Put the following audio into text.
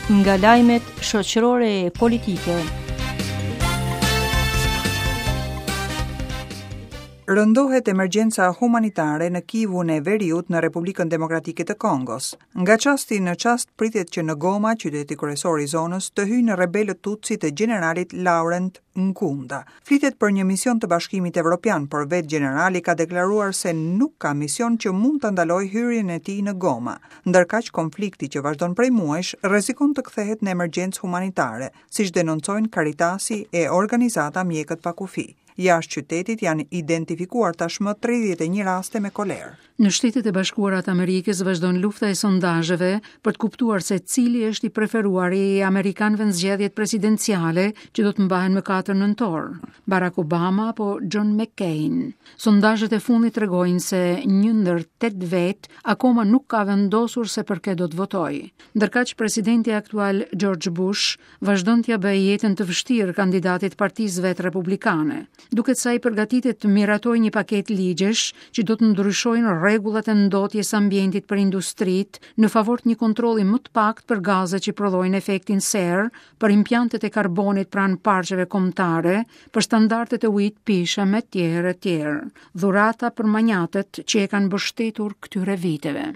Nga lajmet shoqërore e politike. Rëndohet emergjenca humanitare në Kivun e Veriut në Republikën Demokratike të Kongos. Nga çasti në çast pritet që në Goma, qyteti kryesor i zonës, të hyjnë rebelët Tutsi të gjeneralit Laurent Nkunda. Flitet për një mision të Bashkimit Evropian, por vetë gjenerali ka deklaruar se nuk ka mision që mund ta ndalojë hyrjen e tij në Goma. Ndërkaq, konflikti që vazhdon prej muajsh rrezikon të kthehet në emergjencë humanitare, siç denoncojnë Caritasi e organizata Mjekët pa Kufi. Jashtë qytetit janë identifikuar tashmë 31 raste me kolerë. Në Shtetet e Bashkuara të Amerikës vazhdon lufta e sondazheve për të kuptuar se cili është i preferuari i amerikanëve në zgjedhjet presidenciale që do të mbahen më 4 nëntor, Barack Obama apo John McCain. Sondazhet e fundit tregojnë se një ndër 8 vetë akoma nuk ka vendosur se për kë do të votojë. Ndërkaq presidenti aktual George Bush vazhdon t'ia bëjë jetën të vështirë kandidatit të partisë vet republikane. Duket se ai përgatitet të miratojë një paketë ligjesh që do të ndryshojnë rregullat e ndotjes së ambientit për industritë në favor të një kontrolli më të paktë për gazet që prodhojnë efektin serë, për impiantet e karbonit pranë parqeve kombëtare, për standardet e ujit të pijshëm e tjerë e tjerë. Dhurata për manjatët që e kanë mbështetur këtyre viteve.